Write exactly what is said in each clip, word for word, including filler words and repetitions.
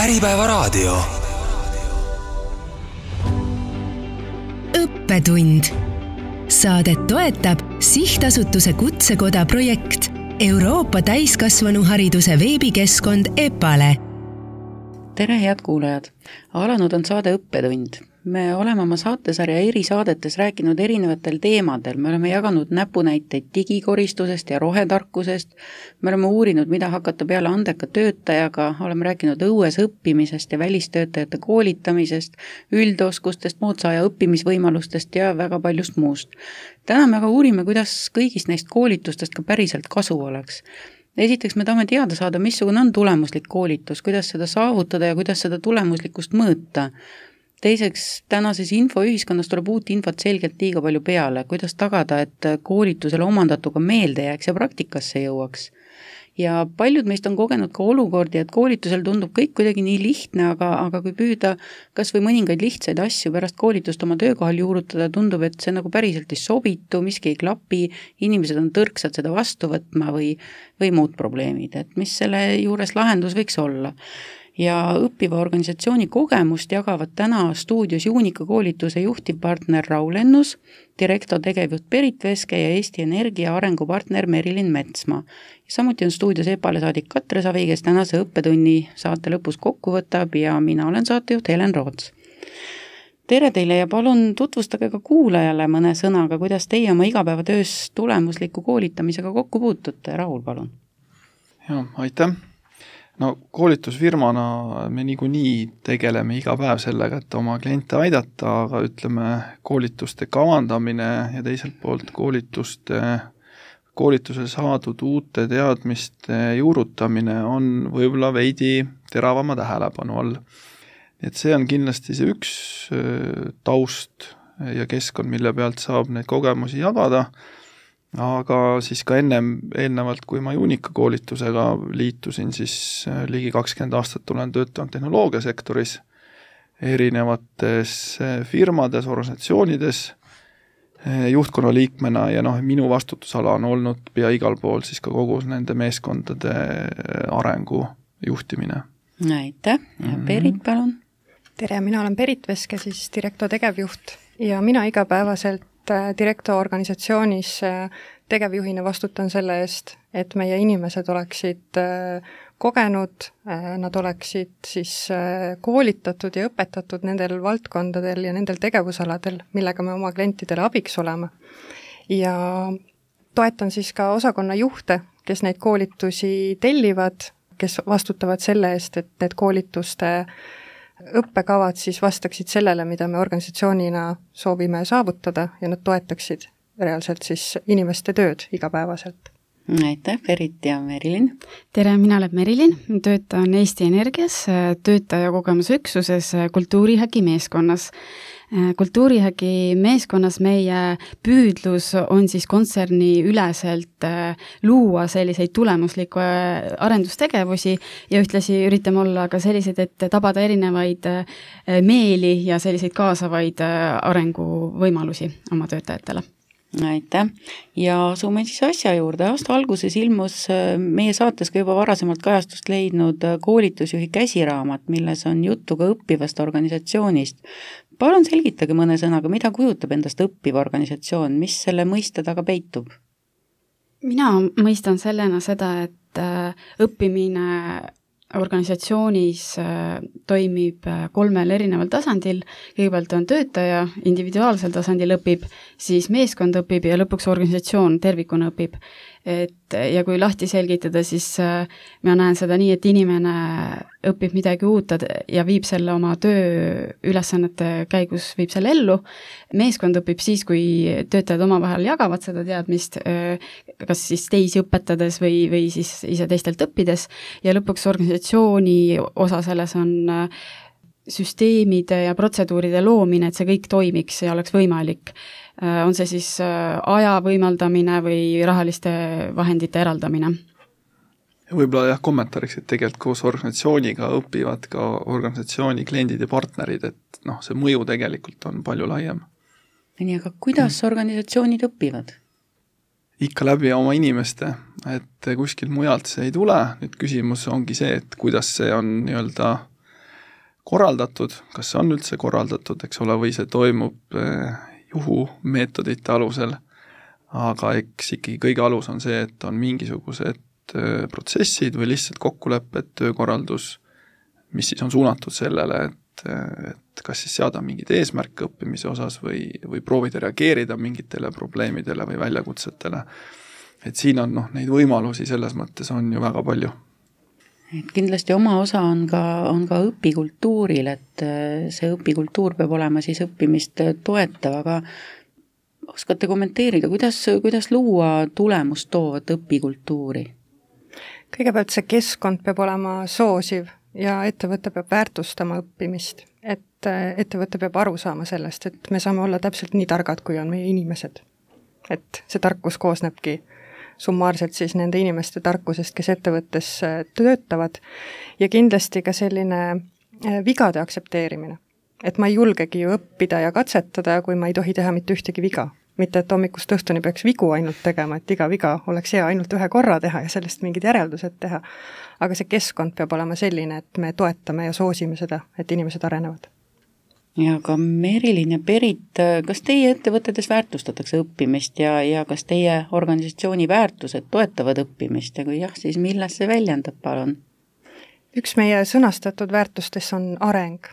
Äripäevaraadio. Õppetund. Saadet toetab Sihtasutuse Kutsekoda projekt Euroopa täiskasvanuhariduse veebikeskkond EPALE. Tere, head kuulajad! Alanud on saade Õppetund. Me oleme oma saatesarja eri saadetes rääkinud erinevatel teemadel. Me oleme jaganud näpunäiteid digikoristusest ja rohetarkusest. Me oleme uurinud, mida hakata peale andeka töötajaga. Oleme rääkinud õues õppimisest ja välistöötajate koolitamisest, üldoskustest, moodsaaja õppimisvõimalustest ja väga paljust muust. Täna me aga uurime, kuidas kõigist neist koolitustest ka päriselt kasu oleks. Esiteks me tahame teada saada, missugune on tulemuslik koolitus, kuidas seda saavutada ja kuidas seda tulemuslikkust mõõta. Teiseks, tänases infoühiskonnas tuleb uut infot selgelt liiga palju peale, kuidas tagada, et koolitusele omandatuga meelde jääks ja praktikasse jõuaks. Ja paljud meist on kogenud ka olukordi, et koolitusel tundub kõik kuidagi nii lihtne, aga, aga kui püüda kas või mõningaid lihtsaid asju pärast koolitust oma töökohal juurutada, tundub, et see nagu päriselt ei sobitu, miski ei klapi, inimesed on tõrksad seda vastu võtma või, või muud probleemid, et mis selle juures lahendus võiks olla. Ja õppiva organisatsiooni kogemust jagavad täna stuudios Juunika koolituse juhtivpartner Raul Ennus, direktor tegevjuht Berit Veske ja Eesti Energia arengupartner Merilin Metsmaa. Ja samuti on stuudios EPALE saadik Katre Savi, kes tänase õppetunni saate lõpus kokku võtab ja mina olen saatejuht Helen Roots. Tere teile ja palun tutvustage ka kuulajale mõne sõnaga, kuidas teie oma igapäevatöös tulemusliku koolitamisega kokku puutute. Raul, palun. Ja, aitäh. No koolitusfirmana me niikuinii tegeleme iga päev sellega, et oma kliente aidata, aga ütleme koolituste kavandamine ja teiselt poolt koolituste, koolitusel saadud uute teadmiste juurutamine on võib-olla veidi teravama tähelepanu all. Et see on kindlasti see üks taust ja keskkond, mille pealt saab neid kogemusi jagada. Aga siis ka ennem, eelnevalt, kui ma Juunika koolitusega liitusin, siis ligi kakskümmend aastat olen töötanud tehnoloogiasektoris, erinevates firmades, organisatsioonides, juhtkonna liikmena ja noh, minu vastutusala on olnud pea igal pool siis ka kogu nende meeskondade arengu juhtimine. Aitäh, ja Berit, palun. Tere, mina olen Berit Veske, siis direktor tegevjuht ja mina igapäevaselt direktor organisatsioonis tegevjuhina vastutan selle eest, et meie inimesed oleksid kogenud, nad oleksid siis koolitatud ja õpetatud nendel valdkondadel ja nendel tegevusaladel, millega me oma klientidele abiks oleme. Ja toetan siis ka osakonna juhte, kes neid koolitusi tellivad, kes vastutavad selle eest, et need koolituste õppekavad siis vastaksid sellele, mida me organisatsioonina soovime saavutada ja nad toetaksid reaalselt siis inimeste tööd igapäevaselt. Aitäh, Berit ja Merilin. Tere, mina olen Merilin, töötan Eesti Energias, töötaja kogemusüksuses kultuurihägi meeskonnas. Kultuurihägi meeskonnas meie püüdlus on siis kontserni üleselt luua selliseid tulemuslikku arendustegevusi ja ühtlasi üritame olla ka sellised, et tabada erinevaid meeli ja selliseid kaasavaid arenguvõimalusi oma töötajatele. Aitäh. Ja asume siis asja juurde. Aasta alguses ilmus meie saates ka juba varasemalt kajastust leidnud koolitusjuhi käsiraamat, milles on juttu ka õppivast organisatsioonist. Palun selgitage mõne sõnaga, mida kujutab endast õppiv organisatsioon, mis selle mõiste taga peitub? Mina mõistan sellena seda, et õppimine organisatsioonis toimib kolmel erineval tasandil. Kõigepealt on töötaja, individuaalsel tasandil õpib, siis meeskond õpib ja lõpuks organisatsioon tervikuna õpib. Et, ja kui lahti selgitada, siis ma näen seda nii, et inimene õpib midagi uut ja viib selle oma töö ülesannete käigus, viib selle ellu. Meeskond õpib siis, kui töötajad omavahel jagavad seda teadmist, kas siis teisi õpetades või, või siis ise teistelt õppides. Ja lõpuks organisatsiooni osa selles on süsteemide ja protseduuride loomine, et see kõik toimiks ja oleks võimalik. On see siis aja võimaldamine või rahaliste vahendite eraldamine? Võib-olla jah, kommentaariks, et tegelikult koos organisatsiooniga õpivad ka organisatsiooni kliendid ja partnerid, et noh, see mõju tegelikult on palju laiem. Nii, aga kuidas organisatsioonid õpivad? Ikka läbi oma inimeste, et kuskil mujalt see ei tule. Nüüd küsimus ongi see, et kuidas see on nii-öelda korraldatud, kas see on üldse korraldatud, eks ole, või see toimub juhumeetodite alusel, aga eks ikkagi kõige alus on see, et on mingisugused protsessid või lihtsalt kokkulepped, töökorraldus, mis siis on suunatud sellele, et, et kas siis seada mingid eesmärke õppimise osas või, või proovida reageerida mingitele probleemidele või väljakutsetele. Et siin on noh, neid võimalusi selles mõttes on ju väga palju. Et kindlasti oma osa on ka, on ka õpikultuuril, et see õpikultuur peab olema siis õppimist toetav, aga oskate kommenteerida, kuidas, kuidas luua tulemust toovat õpikultuuri? Kõigepealt see keskkond peab olema soosiv ja ettevõte peab väärtustama õppimist, et ettevõte peab aru saama sellest, et me saame olla täpselt nii targad, kui on meie inimesed. Et see tarkus koosnebki summaarselt siis nende inimeste tarkusest, kes ettevõttes töötavad ja kindlasti ka selline vigade aktsepteerimine. Et ma ei julgegi ju õppida ja katsetada, kui ma ei tohi teha mitte ühtegi viga. Mitte, et hommikust õhtuni peaks vigu ainult tegema, et iga viga oleks hea ainult ühe korra teha ja sellest mingid järeldused teha. Aga see keskkond peab olema selline, et me toetame ja soosime seda, et inimesed arenevad. Ja ka Merilin ja Berit, kas teie ettevõtetes väärtustatakse õppimist ja, ja kas teie organisatsiooni väärtused toetavad õppimist ja kui jah, siis milles see väljendab, palun? Üks meie sõnastatud väärtustes on areng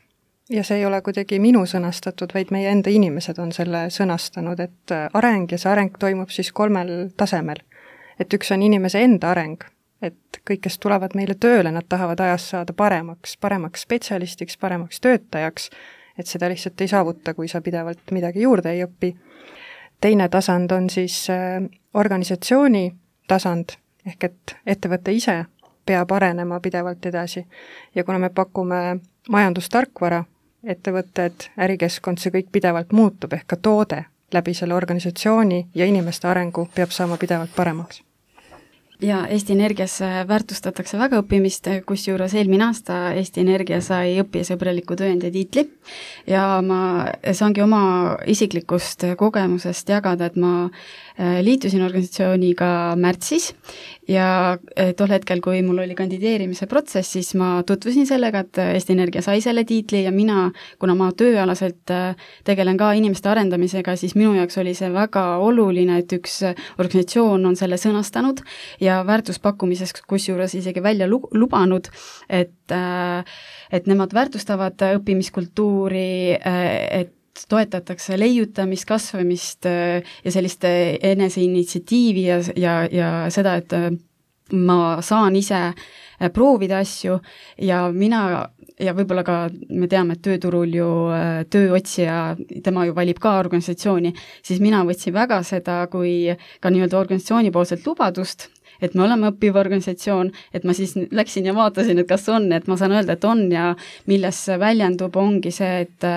ja see ei ole kuidagi minu sõnastatud, vaid meie enda inimesed on selle sõnastanud, et areng ja see areng toimub siis kolmel tasemel. Et üks on inimese enda areng, et kõik, kes tulevad meile tööle, nad tahavad ajas saada paremaks, paremaks spetsialistiks, paremaks töötajaks, et seda lihtsalt ei saavuta, kui sa pidevalt midagi juurde ei õpi. Teine tasand on siis organisatsiooni tasand, ehk et ettevõte ise peab arenema pidevalt edasi. Ja kuna me pakume majandustarkvara, ettevõtted, ärikeskkond, see kõik pidevalt muutub, ehk ka toode läbi selle organisatsiooni ja inimeste arengu peab saama pidevalt paremaks. Ja Eesti Energias väärtustatakse väga õppimist, kus juures eelmine aasta Eesti Energia sai õppijasõbraliku tööandja tiitli ja ma saangi oma isiklikust kogemusest jagada, et ma liitusin organisatsiooniga märtsis ja tol hetkel, kui mul oli kandideerimise protsess, siis ma tutvusin sellega, et Eesti Energia sai selle tiitli ja mina, kuna ma tööalaselt tegelen ka inimeste arendamisega, siis minu jaoks oli see väga oluline, et üks organisatsioon on selle sõnastanud ja väärtuspakkumises, kus juures isegi välja lubanud, et, et nemad väärtustavad õppimiskultuuri, et toetatakse leiutamist, kasvamist ja sellist eneseinitsiatiivi ja, ja, ja seda, et ma saan ise proovida asju ja mina ja võib-olla ka me teame, et tööturul ju tööotsija, tema ju valib ka organisatsiooni, siis mina võtsin väga seda kui ka nii-öelda organisatsiooni poolselt lubadust, et me oleme õppiv organisatsioon, et ma siis läksin ja vaatasin, et kas on, et ma saan öelda, et on ja milles väljendub, ongi see, et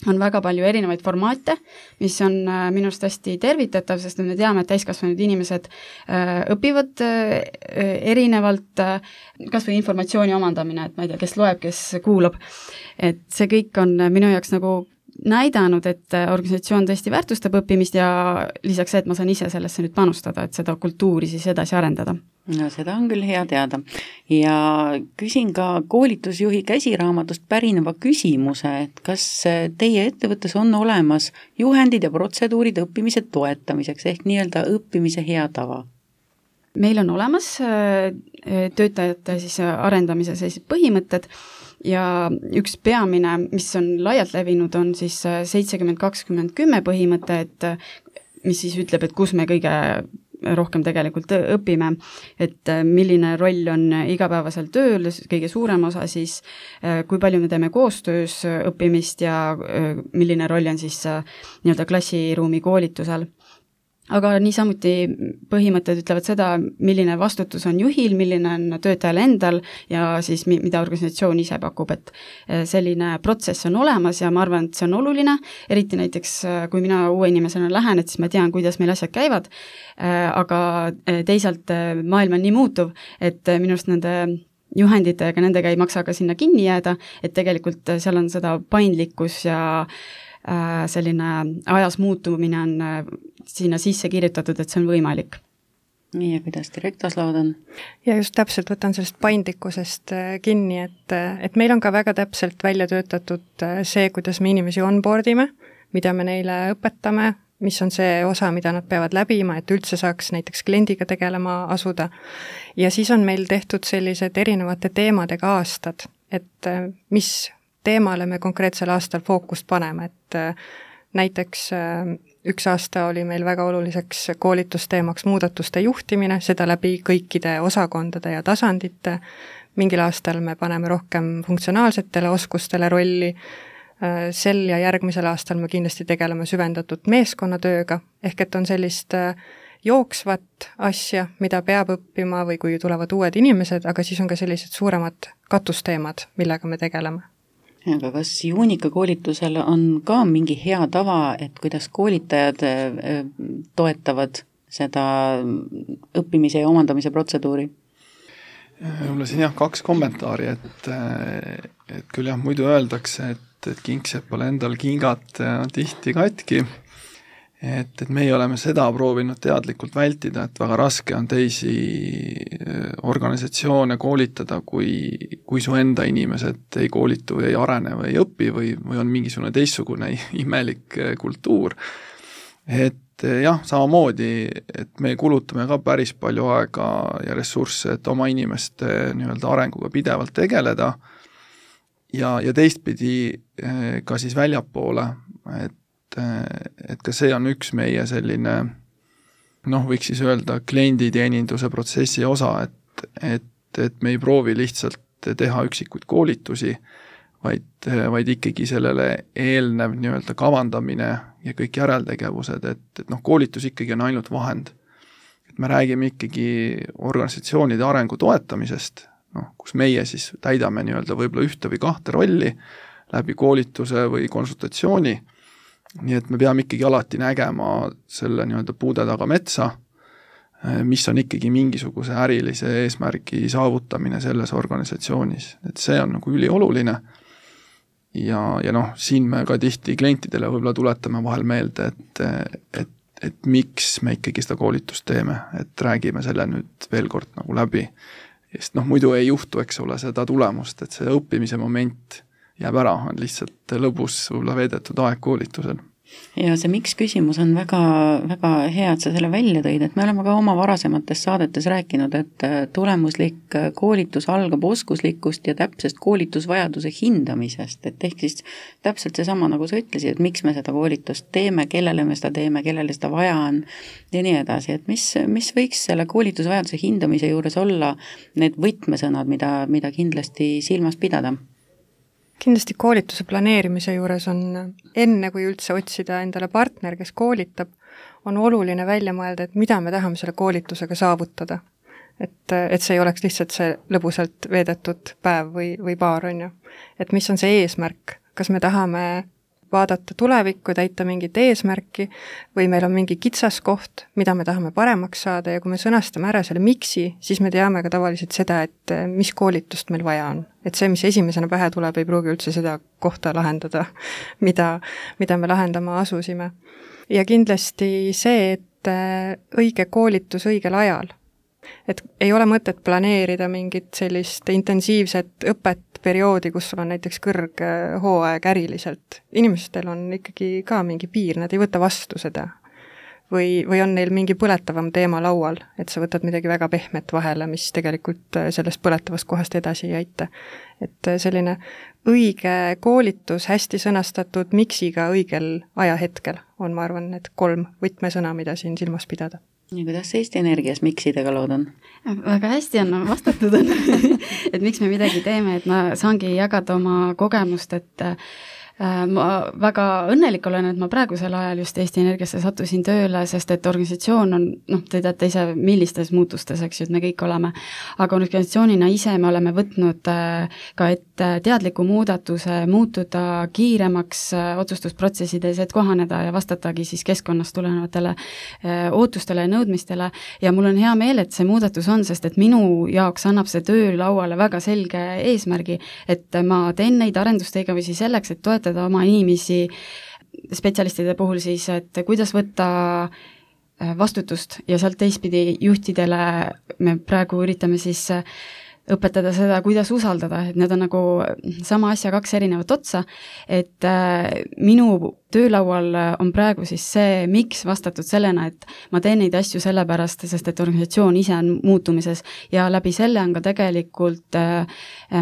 on väga palju erinevaid formaate, mis on minu arust hästi tervitatav, sest me teame, et täiskasvanud inimesed õpivad erinevalt, kas või informatsiooni omandamine, et ma ei tea, kes loeb, kes kuulab. Et see kõik on minu jaoks nagu näidanud, et organisatsioon tõesti väärtustab õppimist ja lisaks see, et ma saan ise sellesse nüüd panustada, et seda kultuuri siis edasi arendada. No seda on küll hea teada. Ja küsin ka koolitusjuhi käsiraamatust pärineva küsimuse, et kas teie ettevõttes on olemas juhendid ja protseduurid õppimise toetamiseks ehk nii-öelda õppimise hea tava? Meil on olemas töötajate siis arendamise sellised põhimõtted ja üks peamine, mis on laialt levinud, on siis seitsekümmend kakskümmend kümme põhimõte, et mis siis ütleb, et kus me kõige rohkem tegelikult õpime, et milline roll on igapäevasel tööl, kõige suurem osa siis, kui palju me teeme koostöös õppimist ja milline roll on siis nii-öelda klassiruumi koolitusel. Aga niisamuti põhimõtted ütlevad seda, milline vastutus on juhil, milline on töötajal endal ja siis mida organisatsioon ise pakub, et selline protsess on olemas ja ma arvan, et see on oluline, eriti näiteks kui mina uue inimesena lähen, et siis ma tean, kuidas meil asjad käivad, aga teisalt maailm on nii muutuv, et minu arust nende juhenditega, nendega ei maksa ka sinna kinni jääda, et tegelikult seal on seda paindlikkus ja selline ajas muutumine on sinna sisse kirjutatud, et see on võimalik. nii, ja kuidas direktorslaud on? Ja just täpselt võtan sellest paindlikkusest kinni, et, et meil on ka väga täpselt välja töötatud see, kuidas me inimesi onboardime, mida me neile õpetame, mis on see osa, mida nad peavad läbima, et üldse saaks näiteks kliendiga tegelema asuda. Ja siis on meil tehtud sellised erinevate teemadega aastad, et mis teemale me konkreetsel aastal fookust paneme, et näiteks üks aasta oli meil väga oluliseks koolitusteemaks muudatuste juhtimine, seda läbi kõikide osakondade ja tasandite. Mingil aastal me paneme rohkem funktsionaalsetele oskustele rolli, sel ja järgmisel aastal me kindlasti tegeleme süvendatud meeskonnatööga, ehk et on sellist jooksvat asja, mida peab õppima või kui tulevad uued inimesed, aga siis on ka sellised suuremad katusteemad, millega me tegeleme. Aga kas Juunika koolitusel on ka mingi hea tava, et kuidas koolitajad toetavad seda õppimise ja omandamise protseduuri? Mulle siin jah kaks kommentaari, et, et küll jah, muidu öeldakse, et, et kingsepal endal kingad tihti katki, et, et meie oleme seda proovinud teadlikult vältida, et väga raske on teisi organisatsioone koolitada, kui, kui su enda inimesed ei koolitu või ei arene või ei õpi või, või on mingisugune teistsugune imelik kultuur. Et jah, samamoodi, et me kulutame ka päris palju aega ja ressursse, et oma inimeste nii-öelda arenguga pidevalt tegeleda ja, ja teistpidi ka siis väljapoole, et et ka see on üks meie selline, noh, võiks siis öelda klienditeeninduse protsessi osa, et, et, et me ei proovi lihtsalt teha üksikuid koolitusi, vaid, vaid ikkagi sellele eelnev nii-öelda kavandamine ja kõik järeltegevused, et, et noh, koolitus ikkagi on ainult vahend. Et me räägime ikkagi organisatsioonide arengu toetamisest, noh, kus meie siis täidame nii-öelda võib-olla ühte või kahte rolli läbi koolituse või konsultatsiooni. Nii et me peame ikkagi alati nägema selle nii-öelda puude taga metsa, mis on ikkagi mingisuguse ärilise eesmärgi saavutamine selles organisatsioonis. Et see on nagu ülioluline ja, ja noh, siin me ka tihti klientidele võib-olla tuletame vahel meelde, et, et, et miks me ikkagi seda koolitust teeme, et räägime selle nüüd veel kord nagu läbi. Sest noh, muidu ei juhtu, eks ole, seda tulemust, et see õppimise moment jääb ära, on lihtsalt lõbus võib-olla veedetud aeg koolitusel. Ja see miks küsimus on väga, väga hea, et sa selle välja tõid, et me oleme ka oma varasemates saadetes rääkinud, et tulemuslik koolitus algab oskuslikust ja täpsest koolitusvajaduse hindamisest, et ehk siis täpselt see sama, nagu sa ütlesid, et miks me seda koolitust teeme, kellele me seda teeme, kellele seda vaja on ja nii edasi, et mis, mis võiks selle koolitusvajaduse hindamise juures olla need võtmesõnad, mida, mida kindlasti silmas pidada? Kindlasti koolituse planeerimise juures on enne, kui üldse otsida endale partner, kes koolitab, on oluline välja mõelda, et mida me tahame selle koolitusega saavutada. Et, et see ei oleks lihtsalt see lõbusalt veedetud päev või, või paar, on ju. Et mis on see eesmärk? Kas me tahame vaadata tulevikku, täita mingit eesmärki või meil on mingi kitsaskoht, mida me tahame paremaks saada ja kui me sõnastame ära selle miksi, siis me teame ka tavaliselt seda, et mis koolitust meil vaja on. Et see, mis esimesena pähe tuleb, ei pruugi üldse seda kohta lahendada, mida, mida me lahendama asusime. Ja kindlasti see, et õige koolitus õigel ajal. Et ei ole mõtet planeerida mingit sellist intensiivset õpet perioodi, kus sul on näiteks kõrg hooaeg äriliselt. Inimestel on ikkagi ka mingi piir, nad ei võta vastu seda. Või, või on neil mingi põletavam teema laual, et sa võtad midagi väga pehmet vahele, mis tegelikult sellest põletavast kohast edasi ei aita. Et selline õige koolitus, hästi sõnastatud miksiga õigel ajahetkel on, ma arvan, need kolm võtmesõna, mida siin silmas pidada. Ja kuidas Eesti Energias miksidega lood on? Väga hästi on vastatud, et miks me midagi teeme, et ma saangi jagada oma kogemust, et ma väga õnnelik olen, et ma praegusel ajal just Eesti Energiasse sattusin tööle, sest et organisatsioon on, noh, te teate ise, millistes muutustes, eks ju, et me kõik oleme, aga organisatsioonina ise me oleme võtnud ka ette teadliku muudatuse, muutuda kiiremaks otsustusprotsessides, et kohaneda ja vastatagi siis keskkonnast tulenevatele ootustele ja nõudmistele ja mul on hea meel, et see muudatus on, sest et minu jaoks annab see töö lauale väga selge eesmärgi, et ma teen neid arendustegevusi selleks, et toetada oma inimesi spetsialistide puhul siis, et kuidas võtta vastutust ja sealt teistpidi juhtidele me praegu üritame siis õpetada seda, kuidas usaldada, et need on nagu sama asja kaks erinevat otsa, et äh, minu töölaual on praegu siis see, miks vastatud sellena, et ma teen neid asju sellepärast, sest et organisatsioon ise on muutumises ja läbi selle on ka tegelikult äh,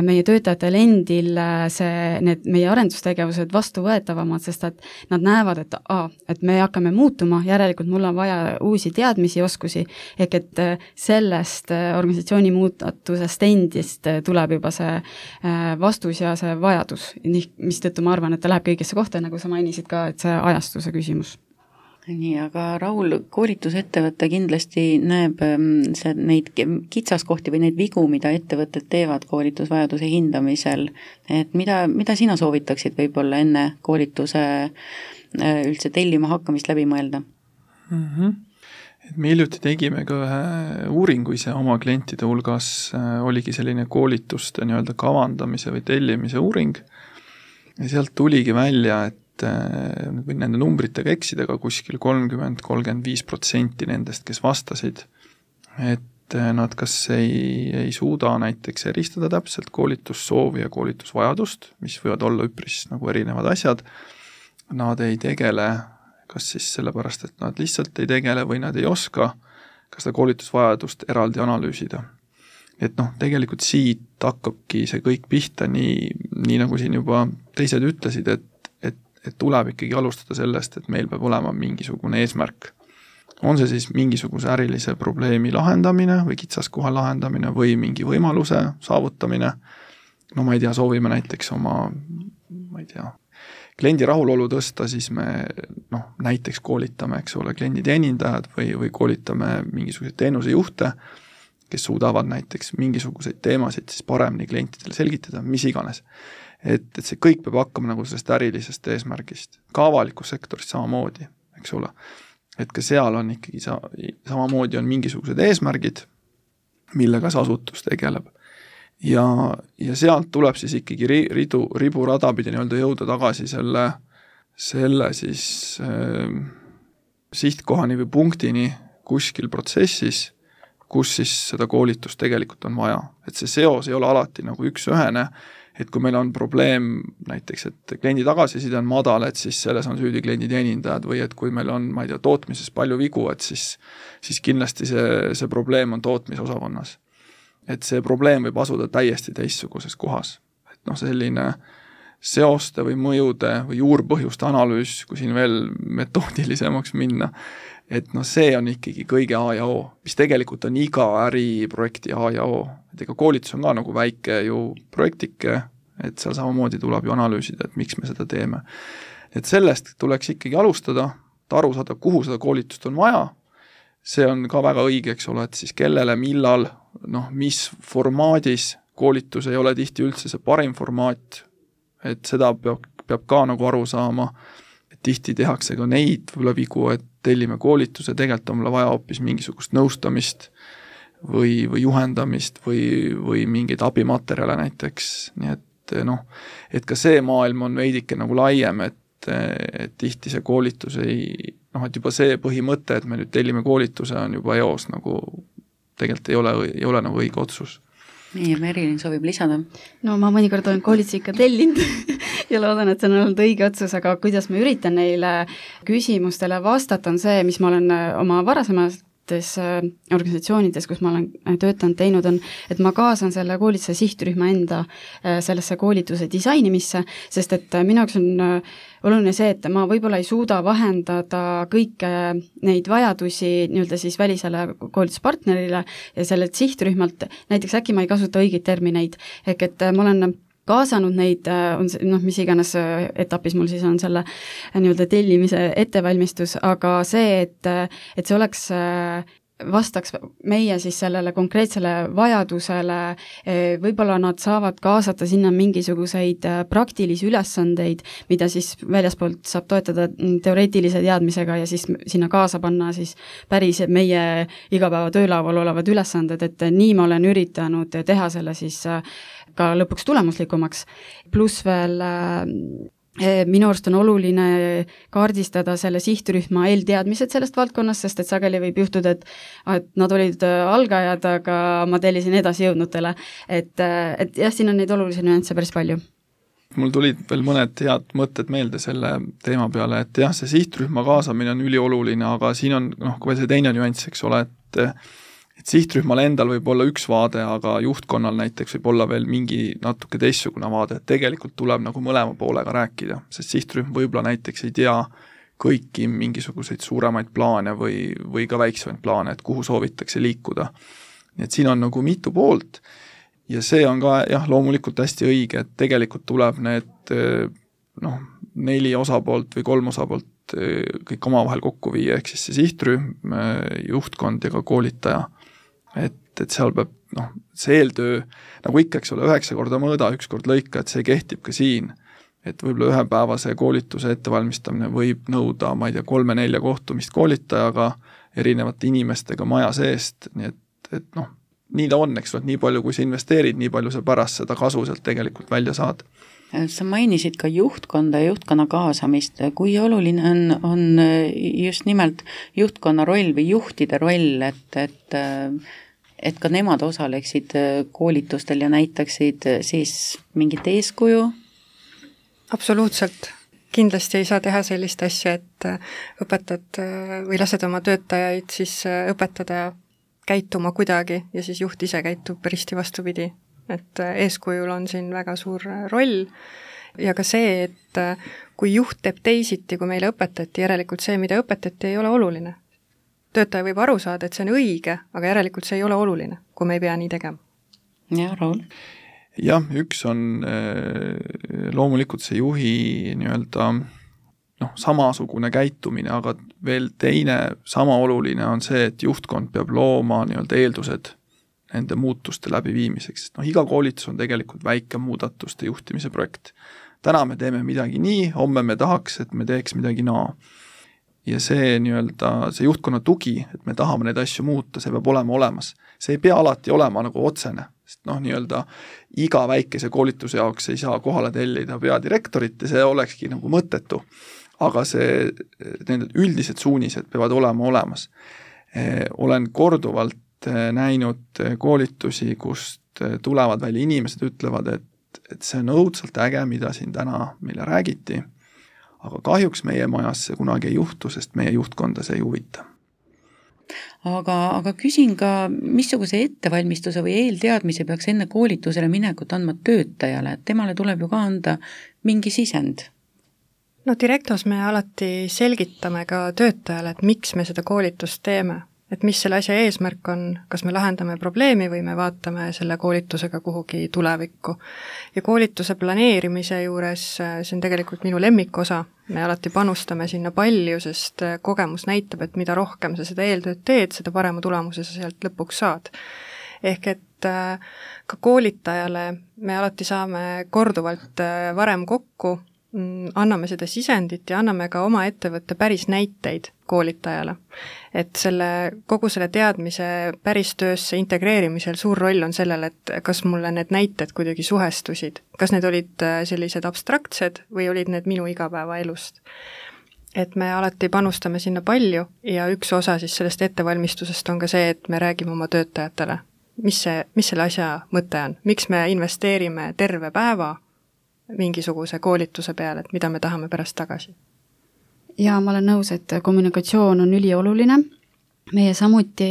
meie töötajatel endil äh, see, need meie arendustegevused vastuvõetavamad, sest et nad näevad, et, aa, et me hakkame muutuma, järelikult mul on vaja uusi teadmisi, oskusi, ehk et äh, sellest äh, organisatsiooni muudatusest endist äh, tuleb juba see äh, vastus ja see vajadus, mis tõttu ma arvan, et ta läheb kõigesse kohta, nagu sa mainisid ka, et see ajastuse küsimus. Nii, aga Raul, koolitusettevõte kindlasti näeb see, neid kitsaskohti või neid vigu, mida ettevõtted teevad koolitusvajaduse hindamisel, et mida, mida sina soovitaksid võib-olla enne koolituse üldse tellima hakkamist läbi mõelda? Mm-hmm. Et me hiljuti tegime ka ühe uuringu ise oma klientide hulgas, oligi selline koolituste nii-öelda kavandamise või tellimise uuring ja sealt tuligi välja, et või nende numbritega eksida, aga kuskil kolmkümmend kuni kolmkümmend viis protsenti nendest, kes vastasid, et nad kas ei, ei suuda näiteks eristada täpselt koolitussoovi ja koolitusvajadust, mis võivad olla üpris nagu erinevad asjad, nad ei tegele, kas siis sellepärast, et nad lihtsalt ei tegele või nad ei oska ka seda koolitusvajadust eraldi analüüsida. Et noh, tegelikult siit hakkabki see kõik pihta, nii, nii nagu siin juba teised ütlesid, et et tuleb ikkagi alustada sellest, et meil peab olema mingisugune eesmärk. On see siis mingisuguse ärilise probleemi lahendamine või kitsaskoha lahendamine või mingi võimaluse saavutamine. No ma ei tea, soovime näiteks oma, ma ei tea, kliendi rahulolu tõsta, siis me noh, näiteks koolitame, eks ole, kliendi teenindajad või, või koolitame mingisuguseid teenusejuhte, kes suudavad näiteks mingisuguseid teemasid siis paremini klientidele selgitada, mis iganes. Et, et see kõik peab hakkama nagu sellest ärilisest eesmärgist. Ka avalikus sektoris samamoodi, eks ole. Et ka seal on ikkagi sa, samamoodi on mingisugused eesmärgid, millega see asutus tegeleb. Ja, ja sealt tuleb siis ikkagi ridu, ribu radapidi nii-öelda jõuda tagasi selle, selle siis äh, sihtkohani või punktini kuskil protsessis, kus siis seda koolitust tegelikult on vaja. Et see seos ei ole alati nagu üks-ühene, et kui meil on probleem näiteks, et kliendi tagasiside on madal, et siis selles on süüdi kliendi teenindajad või et kui meil on, ma ei tea, tootmises palju vigu, et siis, siis kindlasti see, see probleem on tootmisosakonnas. Et see probleem võib asuda täiesti teistsuguses kohas. Et noh, selline seoste või mõjude või juurpõhjuste analüüs, kui siin veel metoodilisemaks minna, et noh, see on ikkagi kõige A ja O, mis tegelikult on iga äriprojekti A ja O. Et ega koolitus on ka nagu väike ju projektike, et seal samamoodi tuleb ju analüüsida, et miks me seda teeme. Et sellest tuleks ikkagi alustada, et aru saada, kuhu seda koolitust on vaja. See on ka väga õige, eks ole, et siis kellele, millal, noh, mis formaadis, koolitus ei ole tihti üldse see parim formaat, et seda peab, peab ka nagu aru saama, et tihti tehakse ka neid võib-olla vigu, et tellime koolituse, tegelikult on mulle vaja hoopis mingisugust nõustamist või, või juhendamist või, või mingeid abimaterjale näiteks, nii et noh, et ka see maailm on veidike nagu laiem, et, et tihti see koolitus ei, noh, et juba see põhimõte, et me nüüd tellime koolituse, on juba eos nagu tegelikult ei ole, ei ole nagu õige otsus. Nii, ja Merilin soovib lisada? No ma mõnikord olen koolitusi ikka tellinud ja loodan, et see on olnud õige otsus, aga kuidas ma üritan neile küsimustele vastata, on see, mis ma olen oma varasemas organisatsioonides, kus ma olen töötanud, teinud on, et ma kaasan selle koolituse sihtrühma enda sellesse koolituse disainimisse, sest et minu jaoks on oluline see, et ma võib-olla ei suuda vahendada kõike neid vajadusi nii-öelda siis välisele koolituspartnerile ja sellelt sihtrühmalt, näiteks äkki ma ei kasuta õigeid termineid, ehk et ma olen kaasanud neid, on noh, mis iganes etapis mul siis on selle nii-öelda tellimise ettevalmistus, aga see, et, et see oleks, vastaks meie siis sellele konkreetsele vajadusele, võib-olla nad saavad kaasata sinna mingisuguseid praktilisi ülesandeid, mida siis väljaspoolt saab toetada teoreetilise teadmisega ja siis sinna kaasa panna siis päris meie igapäeva töölaual olevad ülesanded, et nii ma olen üritanud teha selle siis ka lõpuks tulemuslikumaks, pluss veel minu arust on oluline kaardistada selle sihtrühma eelteadmised sellest valdkonnast, sest et sageli võib juhtuda, et, et nad olid algajad, aga ma tellisin edasi jõudnutele. Et, et jah, siin on neid olulisi nüansse päris palju. Mul tulid veel mõned head mõtted meelde selle teema peale, et jah, see sihtrühma kaasamine on ülioluline, aga siin on noh, kui see teine nüanss, eks ole, et et sihtrühmal endal võib olla üks vaade, aga juhtkonnal näiteks võib olla veel mingi natuke teistsugune vaade, et tegelikult tuleb nagu mõlema poolega rääkida, sest sihtrühm võib-olla näiteks ei tea kõiki mingisuguseid suuremaid plaane või, või ka väiksemaid plaane, et kuhu soovitakse liikuda. Nii et siin on nagu mitu poolt ja see on ka jah, loomulikult hästi õige, et tegelikult tuleb need noh, neli osapoolt või kolm osapoolt kõik omavahel kokku viia, ehk siis see sihtrühm, juhtkond ja ka koolitaja. Et, et seal peab, noh, see eeltöö, nagu ikka, eks ole, üheksa korda mõõda, üks kord lõika, et see kehtib ka siin. Et võib-olla ühepäevase koolituse ettevalmistamine võib nõuda, ma ei tea, kolme-nelja kohtumist koolitajaga, erinevate inimestega maja seest, nii et, et noh, nii ta on, eks ole, et nii palju, kui sa investeerid, nii palju sa pärast seda kasu sealt tegelikult välja saad. Sa mainisid ka juhtkonda ja juhtkonna kaasamist. Kui oluline on, on just nimelt juhtkonna roll või juhtide roll, et, et, et ka nemad osaleksid koolitustel ja näitaksid siis mingit eeskuju? Absoluutselt. Kindlasti ei saa teha sellist asja, et õpetad või lased oma töötajaid siis õpetada käituma kuidagi ja siis juht ise käitub risti vastupidi. Et eeskujul on siin väga suur roll ja ka see, et kui juht teeb teisiti, kui meile õpetati, järelikult see, mida õpetati, ei ole oluline. Töötaja võib aru saada, et see on õige, aga järelikult see ei ole oluline, kui me ei pea nii tegema. Ja, Raul? Jah, üks on loomulikult see juhi nii-öelda noh, samasugune käitumine, aga veel teine sama oluline on see, et juhtkond peab looma nii-öelda eeldused nende muutuste läbiviimiseks, sest noh, iga koolitus on tegelikult väike muudatuste juhtimise projekt. Täna me teeme midagi nii, homme me tahaks, et me teeks midagi naa. Ja see nii-öelda, see juhtkonna tugi, et me tahame neid asju muuta, see peab olema olemas. See ei pea alati olema nagu otsene, sest noh, nii-öelda iga väikese koolituse jaoks ei saa kohale tellida peadirektorit ja see olekski nagu mõttetu. Aga see, need üldised suunised peavad olema olemas. Olen korduvalt näinud koolitusi, kust tulevad välja inimesed, ütlevad, et, et see on õudselt äge, mida siin täna meile räägiti, aga kahjuks meie majas see kunagi ei juhtu, sest meie juhtkonda see ei huvita. Aga, aga küsin ka, missuguse ettevalmistuse või eelteadmise peaks enne koolitusele minekut andma töötajale, et temale tuleb ju ka anda mingi sisend? No Directos me alati selgitame ka töötajale, et miks me seda koolitust teeme. Et mis selle asja eesmärk on, kas me lahendame probleemi või me vaatame selle koolitusega kuhugi tulevikku. Ja koolituse planeerimise juures, see on tegelikult minu lemmikosa, me alati panustame sinna palju, sest kogemus näitab, et mida rohkem sa seda eeltööd teed, seda parema tulemuse sa sealt lõpuks saad. Ehk et ka koolitajale me alati saame korduvalt varem kokku, anname seda sisendit ja anname ka oma ettevõtte päris näiteid koolitajale. Et selle, kogu selle teadmise päris töösse integreerimisel suur roll on sellel, et kas mulle need näited kuidagi suhestusid, kas need olid sellised abstraktsed või olid need minu igapäeva elust. Et me alati panustame sinna palju ja üks osa siis sellest ettevalmistusest on ka see, et me räägime oma töötajatele, mis, see, mis selle asja mõte on, miks me investeerime terve päeva mingisuguse koolituse peale, et mida me tahame pärast tagasi. Ja ma olen nõus, et kommunikatsioon on ülioluline. Meie samuti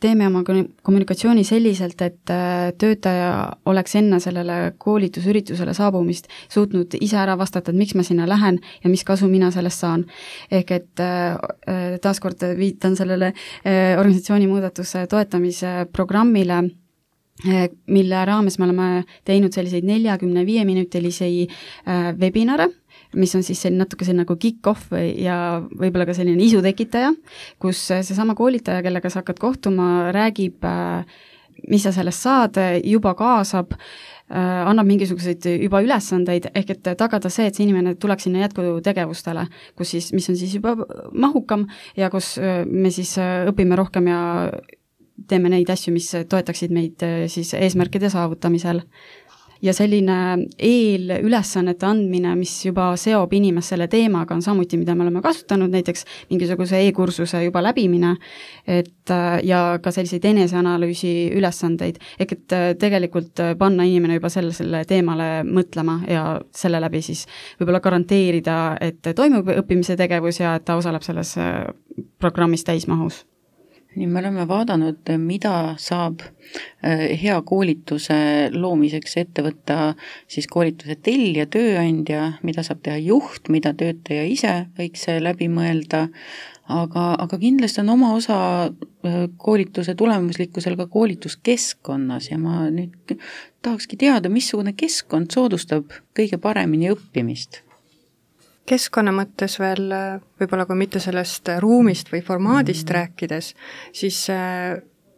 teeme oma kommunikatsiooni selliselt, et töötaja oleks enne sellele koolitusüritusele saabumist suutnud ise ära vastata, et miks ma sinna lähen ja mis kasu mina sellest saan. Ehk et taaskord viitan sellele organisatsiooni muudatuse toetamise programmile, mille raames me oleme teinud selliseid neljakümne viie minutilisi webinare, mis on siis selline natuke selline nagu kick-off ja võib-olla ka selline isu tekitaja, kus seesama koolitaja, kellega sa hakkad kohtuma, räägib, mis sa sellest saad, juba kaasab, annab mingisuguseid juba ülesandeid, ehk et tagada see, et see inimene tuleks sinna jätkutegevustele, kus siis, mis on siis juba mahukam ja kus me siis õpime rohkem ja teeme neid asju, mis toetaksid meid siis eesmärkide saavutamisel. ja selline eelülesannete andmine, mis juba seob inimest selle teemaga, on samuti, mida me oleme kasutanud, näiteks mingisuguse e-kursuse juba läbimine, et ja ka selliseid eneseanalüüsi ülesandeid, ehk et tegelikult panna inimene juba selle, selle teemale mõtlema ja selle läbi siis võib-olla garanteerida, et toimub õppimise tegevus ja et ta osaleb selles programmis täismahus. Nii me oleme vaadanud, mida saab hea koolituse loomiseks ette võtta siis koolituse tellija, tööandja, mida saab teha juht, mida töötaja ise võiks läbi mõelda, aga, aga kindlasti on oma osa koolituse tulemuslikkusel ka koolituskeskkonnas ja ma nüüd tahakski teada, missugune keskkond soodustab kõige paremini õppimist. Keskkonna mõttes veel, võib-olla kui mitte sellest ruumist või formaadist mm. rääkides, siis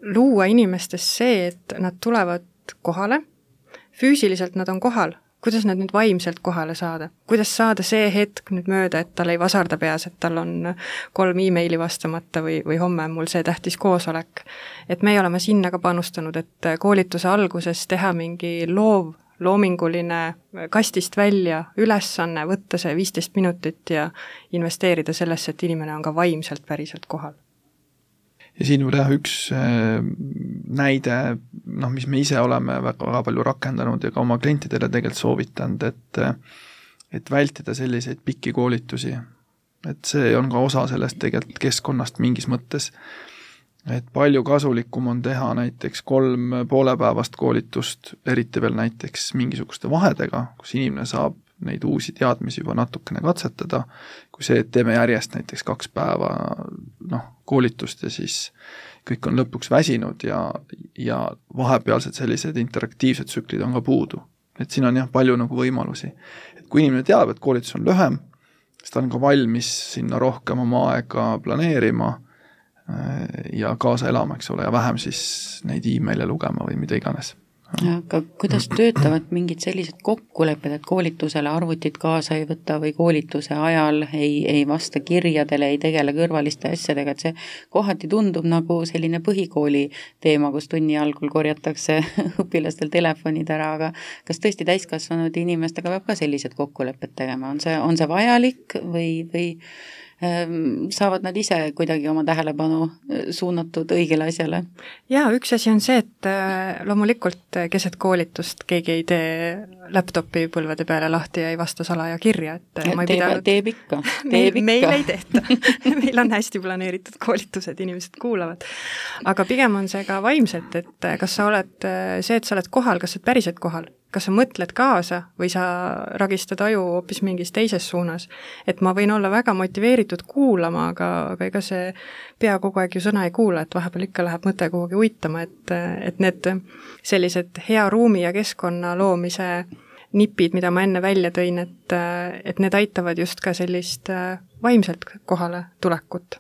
luua inimestes see, et nad tulevad kohale, füüsiliselt nad on kohal, kuidas nad nüüd vaimselt kohale saada, kuidas saada see hetk nüüd mööda, et tal ei vasarda peas, et tal on kolm e-maili vastamata või, või homme mul see tähtis koosolek. Et me oleme sinna ka panustanud, et koolituse alguses teha mingi loov loominguline kastist välja ülesanne, võtta see viisteist minutit ja investeerida sellesse, et inimene on ka vaimselt päriselt kohal. Ja siin võib teha üks näide, noh, mis me ise oleme väga, väga palju rakendanud ja ka oma klientidele tegelikult soovitanud, et, et vältida selliseid pikki koolitusi. Et see on ka osa sellest tegelikult keskkonnast mingis mõttes. Et palju kasulikum on teha näiteks kolm poolepäevast koolitust, eriti veel näiteks mingisuguste vahedega, kus inimene saab neid uusi teadmisi juba natukene katsetada, kui see, et teeme järjest näiteks kaks päeva noh, koolitust ja siis kõik on lõpuks väsinud ja, ja vahepealsed sellised interaktiivsed tsüklid on ka puudu. Et siin on jah palju nagu võimalusi. Et kui inimene teab, et koolitus on lühem, siis ta on ka valmis sinna rohkem oma aega planeerima ja kaasa elama, eks ole, ja vähem siis neid e-maile lugema või mida iganes. Aga kuidas töötavad mingid sellised kokkulepped, et koolitusele arvutit kaasa ei võta või koolituse ajal ei, ei vasta kirjadele, ei tegele kõrvaliste asjadega, et see kohati tundub nagu selline põhikooli teema, kus tunni algul korjatakse õpilastel telefonid ära, aga kas tõesti täiskasvanud inimestega peab ka sellised kokkulepped tegema? On see, on see vajalik või, või saavad nad ise kuidagi oma tähelepanu suunatud õigele asjale? Jaa, üks asi on see, et loomulikult keset koolitust keegi ei tee laptopi põlvede peale lahti ja ei vasta salaja kirja, et ma ei teeb, pidanud... teeb ikka, teeb meil, ikka. Meil ei tehta. Meil on hästi planeeritud koolitused, inimesed kuulavad. Aga pigem on see ka vaimselt, et kas sa oled see, et sa oled kohal, kas sa oled päriselt kohal? Kas sa mõtled kaasa või sa ragistad aju hoopis mingis teises suunas. Et ma võin olla väga motiveeritud kuulama, aga, aga ega see pea kogu aeg ju sõna ei kuula, et vahepeal ikka läheb mõte kuhugi uitama, et, et need sellised hea ruumi ja keskkonna loomise nipid, mida ma enne välja tõin, et, et need aitavad just ka sellist vaimselt kohale tulekut.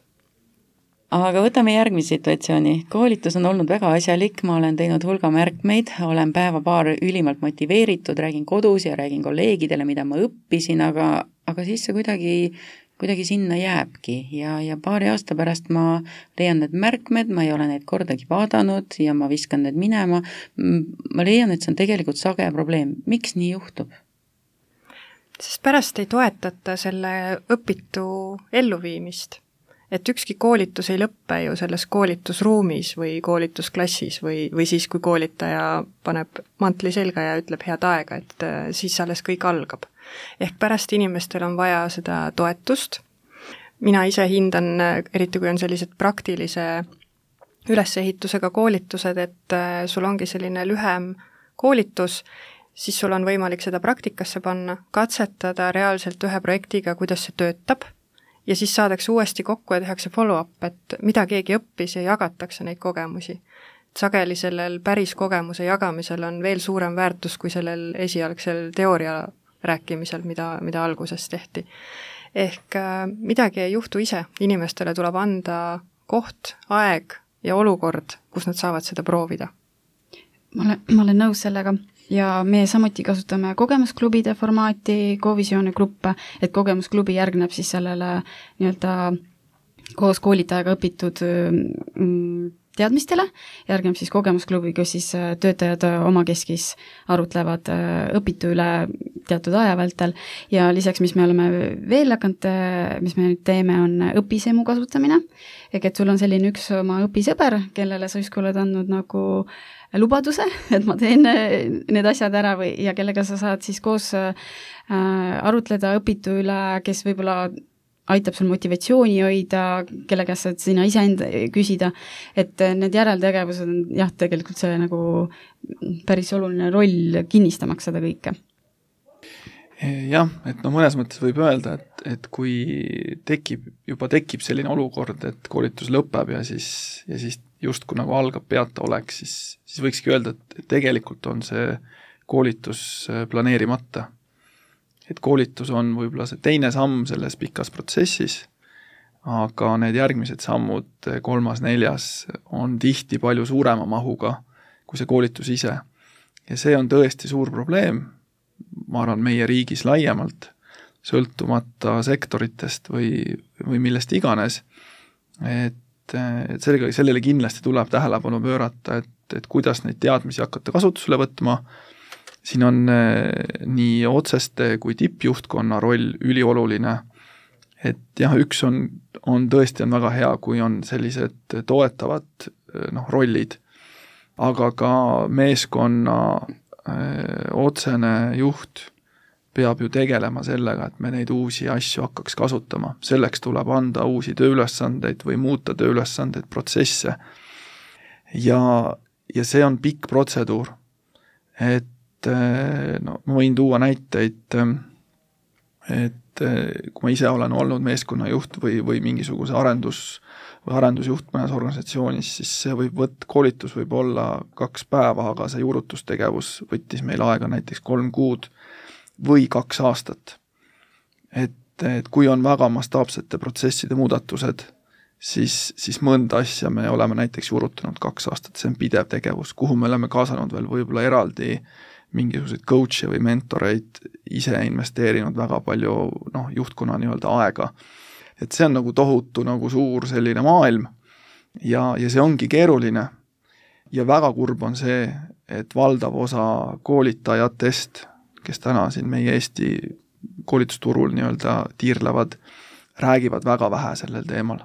Aga võtame järgmise situatsiooni. Koolitus on olnud väga asjalik, ma olen teinud hulga märkmeid, olen päeva paar ülimalt motiveeritud, räägin kodus ja räägin kolleegidele, mida ma õppisin, aga, aga siis see kuidagi, kuidagi sinna jääbki ja, ja paari aasta pärast ma leian need märkmed, ma ei ole neid kordagi vaadanud ja ma viskan need minema. Ma leian, et see on tegelikult sage probleem. Miks nii juhtub? Sest pärast ei toetata selle õpitu elluviimist. Et ükski koolitus ei lõppe ju selles koolitusruumis või koolitusklassis või, või siis, kui koolitaja paneb mantli selga ja ütleb head aega, et siis alles kõik algab. Ehk pärast inimestel on vaja seda toetust. Mina ise hindan, eriti kui on sellised praktilise ülesehitusega koolitused, et sul ongi selline lühem koolitus, siis sul on võimalik seda praktikasse panna, katsetada reaalselt ühe projektiga, kuidas see töötab, ja siis saadakse uuesti kokku ja tehakse follow-up, et mida keegi õppis ja jagatakse neid kogemusi. Sageli sellel päris kogemuse jagamisel on veel suurem väärtus kui sellel esialgsel teooria rääkimisel, mida, mida alguses tehti. Ehk midagi ei juhtu ise, inimestele tuleb anda koht, aeg ja olukord, kus nad saavad seda proovida. Ma olen, ma olen nõus sellega. Ja me samuti kasutame kogemusklubide formaati, Covisiooni gruppe, et kogemusklubi järgneb siis sellele nii-öelda koos koolitajaga õpitud teadmistele, järgneb siis kogemusklubi, kus siis töötajad omakeskis arutlevad õpitu üle teatud aja vältel ja lisaks, mis me oleme veel hakanud, mis me nüüd teeme, on õpisemu kasutamine, ehk et sul on selline üks oma õpisõber, kellele sa justkui oled andnud nagu lubaduse, et ma teen need asjad ära või, ja kellega sa saad siis koos äh, arutleda õpitu üle, kes võib-olla aitab sul motivatsiooni hoida, kelle käest saad sina iseenda küsida, et need järeltegevused on jah, tegelikult see nagu päris oluline roll kinnistamaks seda kõike. Jah, et no mõnes mõttes võib öelda, et, et kui tekib, juba tekib selline olukord, et koolitus lõpeb ja siis, ja siis justkui nagu algab peata oleks, siis, siis võikski öelda, et tegelikult on see koolitus planeerimata. Et koolitus on võib-olla see teine samm selles pikas protsessis, aga need järgmised sammud, kolmas, neljas, on tihti palju suurema mahuga kui see koolitus ise. Ja see on tõesti suur probleem, ma arvan, meie riigis laiemalt, sõltumata sektoritest või, või millest iganes, et, et sellega, sellele kindlasti tuleb tähelepanu pöörata, et, et kuidas neid teadmisi hakata kasutusele võtma. Siin on nii otseste kui tippjuhtkonna roll ülioluline, et jah, üks on, on tõesti on väga hea, kui on sellised toetavad noh, rollid, aga ka meeskonna öö, otsene juht peab ju tegelema sellega, et me neid uusi asju hakkaks kasutama. Selleks tuleb anda uusi tööülesandeid või muuta tööülesandeid, protsesse. Ja, ja see on pikk protseduur. Et no, ma võin tuua näiteid, et kui ma ise olen olnud meeskonnajuht või, või mingisuguse arendus, või arendusjuht mõnes organisatsioonis, siis see võib võtta, koolitus võib olla kaks päeva, aga see juurutustegevus võttis meil aega näiteks kolm kuud või kaks aastat. Et, et kui on väga mastaapsete protsesside muudatused, siis, siis mõnda asja me oleme näiteks juurutanud kaks aastat, see on pidev tegevus, kuhu me oleme kaasanud veel võib-olla eraldi mingisuguseid coach'e või mentoreid, ise investeerinud väga palju noh, juhtkonna nii-öelda aega. Et see on nagu tohutu nagu suur selline maailm ja, ja see ongi keeruline. Ja väga kurb on see, et valdav osa koolitajatest, kes täna siin meie Eesti koolitusturul nii-öelda tiirlevad, räägivad väga vähe sellel teemal.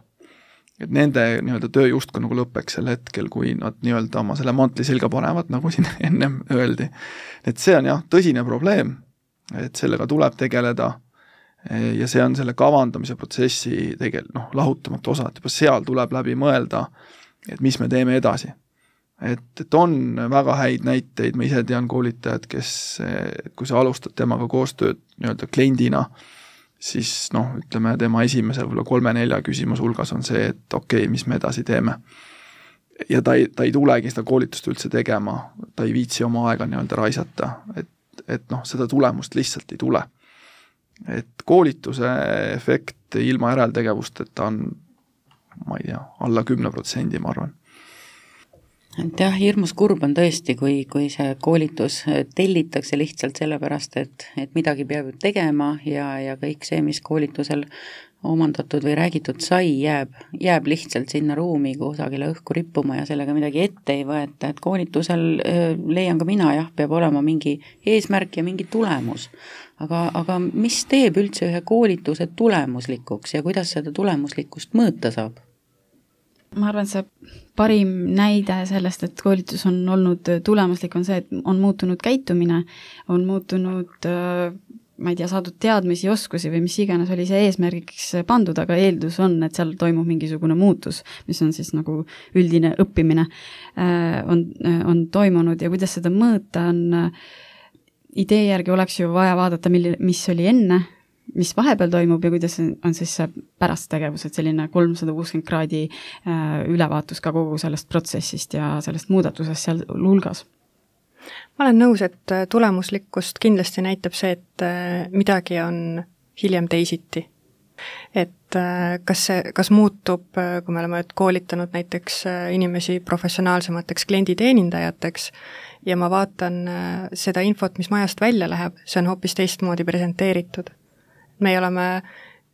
Et nende nii-öelda töö justkui nagu lõpeks sel hetkel, kui nad nii-öelda oma selle mantli selga panevad, nagu siin ennem öeldi. Et see on jah, tõsine probleem, et sellega tuleb tegeleda ja see on selle kavandamise protsessi tegel, noh, lahutamatu osa, et juba seal tuleb läbi mõelda, et mis me teeme edasi. Et, et on väga häid näiteid, ma ise tean koolitajad, kes, kui sa alustad temaga koostööd nii-öelda kliendina, siis noh, ütleme tema esimese võib-olla kolme-nelja küsimus hulgas on see, et okei, okay, mis me edasi teeme. Ja ta ei, ta ei tulegi seda koolitust üldse tegema, ta ei viitsi oma aega nii-öelda raisata, et, et noh, seda tulemust lihtsalt ei tule. Et koolituse efekt ilma järeltegevusteta on, ma ei tea, alla kümne protsendi, ma arvan. Et jah, hirmus kurb on tõesti, kui, kui see koolitus tellitakse lihtsalt sellepärast, et, et midagi peab tegema ja, ja kõik see, mis koolitusel omandatud või räägitud sai, jääb, jääb lihtsalt sinna ruumi kusagile õhku rippuma ja sellega midagi ette ei võeta, et koolitusel leian ka mina, jah, peab olema mingi eesmärk ja mingi tulemus. Aga, aga mis teeb üldse ühe koolituse tulemuslikuks ja kuidas seda tulemuslikkust mõõta saab? Ma arvan, see parim näide sellest, et koolitus on olnud tulemuslik, on see, et on muutunud käitumine, on muutunud, ma ei tea, saadud teadmisi, oskusi või mis iganes oli see eesmärgiks pandud, aga eeldus on, et seal toimub mingisugune muutus, mis on siis nagu üldine õppimine, on, on toimunud ja kuidas seda mõõta on, idee järgi oleks ju vaja vaadata, mis oli enne, mis vahepeal toimub ja kuidas on siis see pärast tegevus, et selline kolmsada kuuskümmend kraadi ülevaatus ka kogu sellest protsessist ja sellest muudatusest seal hulgas. Ma olen nõus, et tulemuslikkust kindlasti näitab see, et midagi on hiljem teisiti. Et kas, see, kas muutub, kui me oleme koolitanud näiteks inimesi professionaalsemateks klienditeenindajateks ja ma vaatan seda infot, mis majast välja läheb, see on hoopis teistmoodi presenteeritud. Me oleme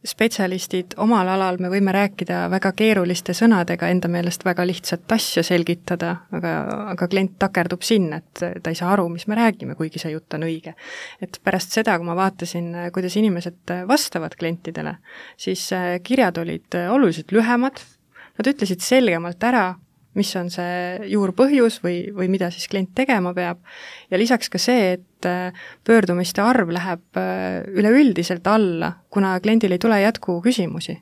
spetsialistid omal alal me võime rääkida väga keeruliste sõnadega, enda meelest väga lihtsat asja selgitada, aga, aga klient takerdub sinna, et ta ei saa aru, mis me räägime, kuigi see jutt on õige. Et pärast seda, kui ma vaatasin, kuidas inimesed vastavad klientidele, siis kirjad olid oluliselt lühemad, nad ütlesid selgemalt ära, mis on see juurpõhjus või, või mida siis klient tegema peab. Ja lisaks ka see, et pöördumiste arv läheb üleüldiselt alla, kuna kliendil ei tule jätku küsimusi.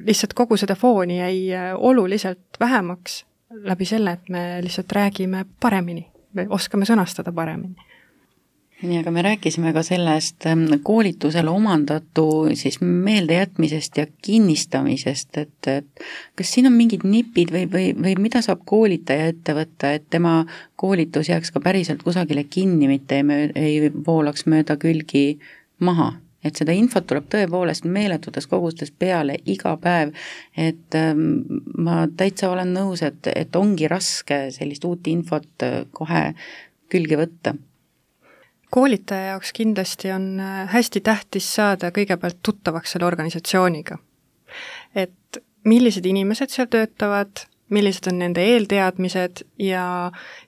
Lihtsalt kogu seda fooni jäi oluliselt vähemaks läbi selle, et me lihtsalt räägime paremini, me oskame sõnastada paremini. Nii, aga me rääkisime ka sellest koolitusele omandatu siis meeldejätmisest ja kinnistamisest, et, et kas siin on mingid nipid või, või, või mida saab koolitaja ette võtta, et tema koolitus jääks ka päriselt kusagile kinni, mitte ei, ei voolaks mööda külgi maha? Et seda infot tuleb tõepoolest meeletutes kogustes peale iga päev, et ma täitsa olen nõus, et, et ongi raske sellist uut infot kohe külge võtta. Koolitaja jaoks kindlasti on hästi tähtis saada kõigepealt tuttavaks selle organisatsiooniga. Et millised inimesed seal töötavad, millised on nende eelteadmised ja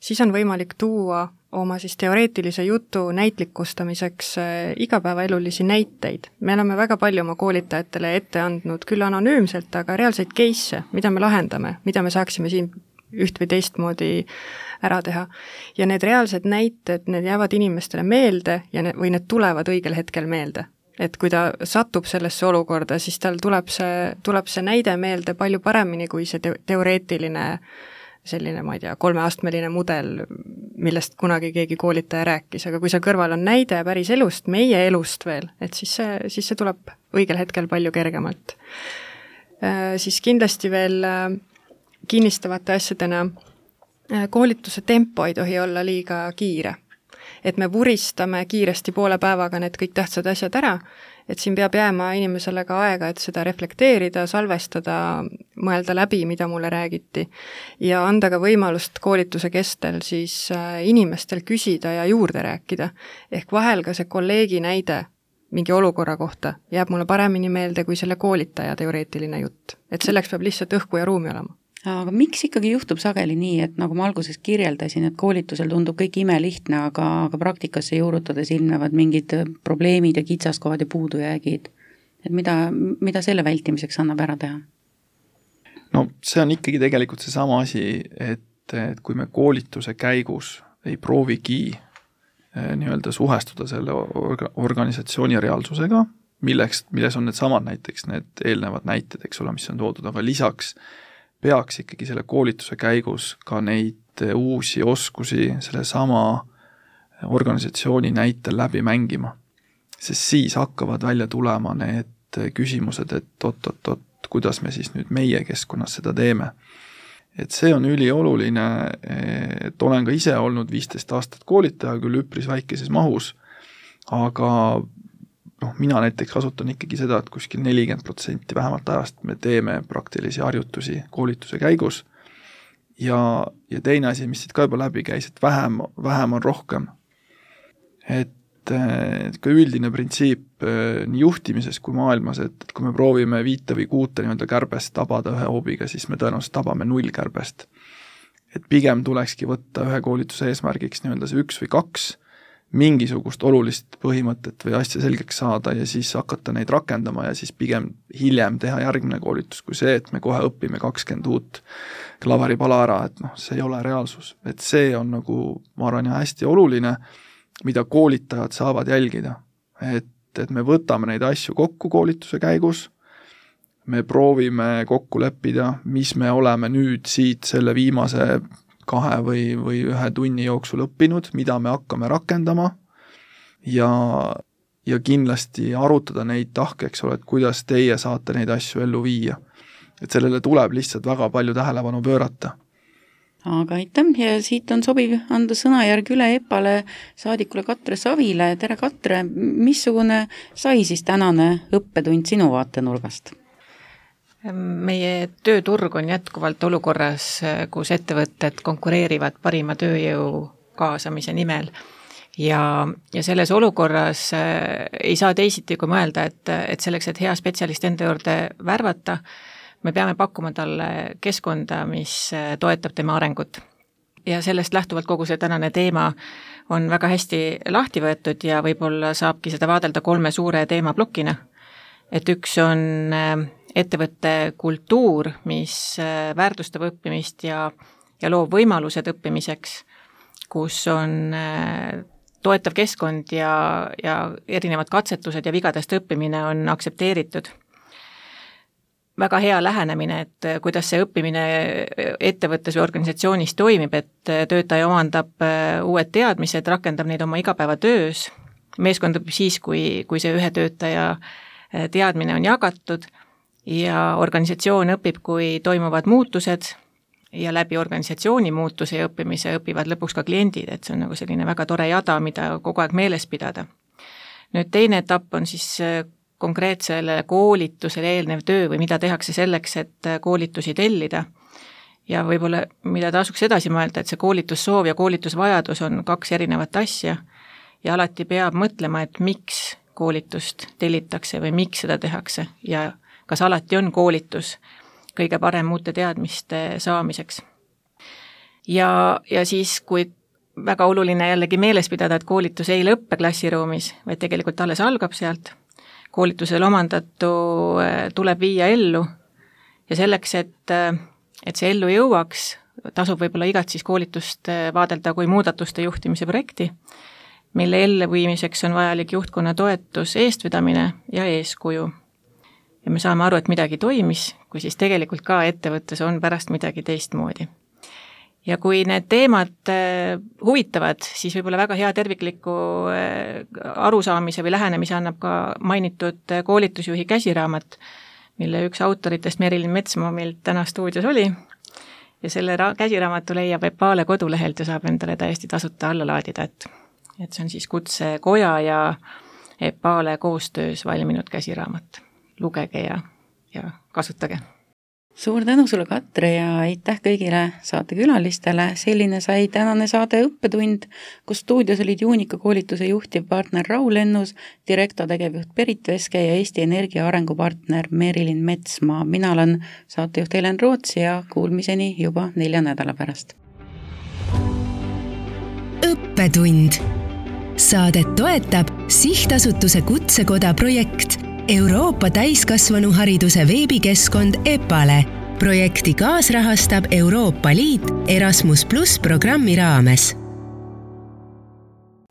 siis on võimalik tuua oma siis teoreetilise jutu näitlikustamiseks igapäevaelulisi näiteid. Me oleme väga palju oma koolitajatele ette andnud küll anonüümselt, aga reaalseid case'e, mida me lahendame, mida me saaksime siin üht või teistmoodi ära teha. Ja need reaalsed näited, need jäävad inimestele meelde ja ne, või need tulevad õigel hetkel meelde. Et kui ta satub sellesse olukorda, siis tal tuleb see, tuleb see näide meelde palju paremini kui see te- teoreetiline selline, ma ei tea, kolmeastmeline mudel, millest kunagi keegi koolitaja rääkis, aga kui seal kõrval on näide päris elust, meie elust veel, et siis see, siis see tuleb õigel hetkel palju kergemalt. Äh, siis kindlasti veel äh, kinnistavate asjadena koolituse tempo ei tohi olla liiga kiire. Et me vuristame kiiresti poole päevaga need kõik tähtsad asjad ära, et siin peab jääma inimesele ka aega, et seda reflekteerida, salvestada, mõelda läbi, mida mulle räägiti ja anda ka võimalust koolituse kestel siis inimestel küsida ja juurde rääkida. Ehk vahel ka see kolleegi näide mingi olukorra kohta jääb mulle paremini meelde kui selle koolitaja teoreetiline jutt. Et selleks peab lihtsalt õhku ja ruumi olema. Aga miks ikkagi juhtub sageli nii, et nagu ma alguses kirjeldasin, et koolitusel tundub kõik imelihtne, aga, aga praktikasse juurutades ilmnevad mingid probleemid ja kitsaskohad ja puudujäägid. Et mida, mida selle vältimiseks annab ära teha? No see on ikkagi tegelikult see sama asi, et, et kui me koolituse käigus ei proovigi nii-öelda suhestuda selle orga, organisatsiooni reaalsusega, milleks, milles on need samad näiteks need eelnevad näited, eks ole, mis on toodud, aga lisaks peaks ikkagi selle koolituse käigus ka neid uusi oskusi selle sama organisatsiooni näitel läbi mängima. Sest siis hakkavad välja tulema need küsimused, et oot-oot-oot, kuidas me siis nüüd meie keskkonnas seda teeme. Et see on ülioluline, et olen ka ise olnud viisteist aastat koolitaja, küll üpris väikeses mahus, aga noh, mina näiteks kasutan ikkagi seda, et kuskil nelikümmend protsenti vähemalt ajast me teeme praktilisi harjutusi koolituse käigus ja, ja teine asi, mis siit ka juba läbi käis, et vähem, vähem on rohkem. Et, et ka üldine printsiip nii juhtimises kui maailmas, et kui me proovime viite või kuute nii-öelda kärbest tabada ühe hoobiga, siis me tõenäoliselt tabame null kärbest. Et pigem tulekski võtta ühe koolituse eesmärgiks nii-öelda see üks või kaks mingisugust olulist põhimõtet või asja selgeks saada ja siis hakata neid rakendama ja siis pigem hiljem teha järgmine koolitus kui see, et me kohe õpime kakskümmend uut klaveripala ära, et noh, see ei ole reaalsus. Et see on nagu, ma arvan, hästi oluline, mida koolitajad saavad jälgida. Et, et me võtame neid asju kokku koolituse käigus, me proovime kokku leppida, mis me oleme nüüd siit selle viimase kahe või, või ühe tunni jooksul õppinud, mida me hakkame rakendama ja, ja kindlasti arutada neid tahke, eks ole, et kuidas teie saate neid asju ellu viia. Et sellele tuleb lihtsalt väga palju tähelepanu pöörata. Aga aitäh ja siit on sobiv anda sõnajärg üle Epale saadikule Katre Savile. Tere Katre, missugune sai siis tänane õppetund sinu vaatenurgast? Meie tööturg on jätkuvalt olukorras, kus ettevõtted konkureerivad parima tööjõu kaasamise nimel ja, ja selles olukorras ei saa teisiti kui mõelda, et, et selleks, et hea spetsialist enda juurde värvata, me peame pakkuma talle keskkonda, mis toetab tema arengut. Ja sellest lähtuvalt kogu see tänane teema on väga hästi lahti võetud ja võib-olla saabki seda vaadelda kolme suure teemaplokina. Et üks on ettevõtte kultuur, mis väärtustab õppimist ja, ja loob võimalused õppimiseks, kus on toetav keskkond ja, ja erinevad katsetused ja vigadest õppimine on aktsepteeritud. Väga hea lähenemine, et kuidas see õppimine ettevõttes või organisatsioonis toimib, et töötaja omandab uued teadmised, rakendab neid oma igapäevatöös, meeskond õpib siis, kui, kui see ühe töötaja teadmine on jagatud ja organisatsioon õpib, kui toimuvad muutused ja läbi organisatsiooni muutuse ja õppimise õpivad lõpuks ka kliendid, et see on nagu selline väga tore jada, mida kogu aeg meeles pidada. Nüüd teine etapp on siis konkreetsele koolitusele eelnev töö või mida tehakse selleks, et koolitusi tellida. Ja võib-olla, mida tasuks edasi mõelda, et see koolitussoov ja koolitusvajadus on kaks erinevat asja ja alati peab mõtlema, et miks koolitust tellitakse või miks seda tehakse ja kas alati on koolitus kõige parem uute teadmiste saamiseks. Ja, ja siis, kui väga oluline jällegi meeles pidada, et koolitus ei lõppe klassiruumis, vaid tegelikult alles algab sealt, koolitusel omandatu tuleb viia ellu ja selleks, et, et see ellu jõuaks, tasub võib-olla igat siis koolitust vaadelda kui muudatuste juhtimise projekti, mille elluviimiseks on vajalik juhtkonna toetus, eestvedamine ja eeskuju. Ja me saame aru, et midagi toimis, kui siis tegelikult ka ettevõttes on pärast midagi teistmoodi. Ja kui need teemad huvitavad, siis võib-olla väga hea tervikliku arusaamise või lähenemise annab ka mainitud koolitusjuhi käsiraamat, mille üks autoritest Merilin Metsmaa meil täna stuudios oli. Ja selle ra- käsiraamatu leiab Epale kodulehelt ja saab endale täiesti tasuta alla laadida, et, et see on siis Kutsekoja ja Epale koostöös valminud käsiraamat. Lugege ja, ja kasutage. Suur tänu sulle, Katre, ja aitäh kõigile saatekülalistele. Selline sai tänane saade Õppetund, kus stuudios olid Juunika koolituse juhtiv partner Raul Ennus, direktor tegevjuht Berit Veske ja Eesti Energia arengupartner Merilin Metsmaa. Mina olen saatejuht Helen Roots ja kuulmiseni juba nelja nädala pärast. Õppetund. Saadet toetab Sihtasutuse Kutsekoda projekt Euroopa täiskasvanuhariduse veebikeskkond EPALE. Projekti kaasrahastab Euroopa Liit Erasmus plus programmi raames.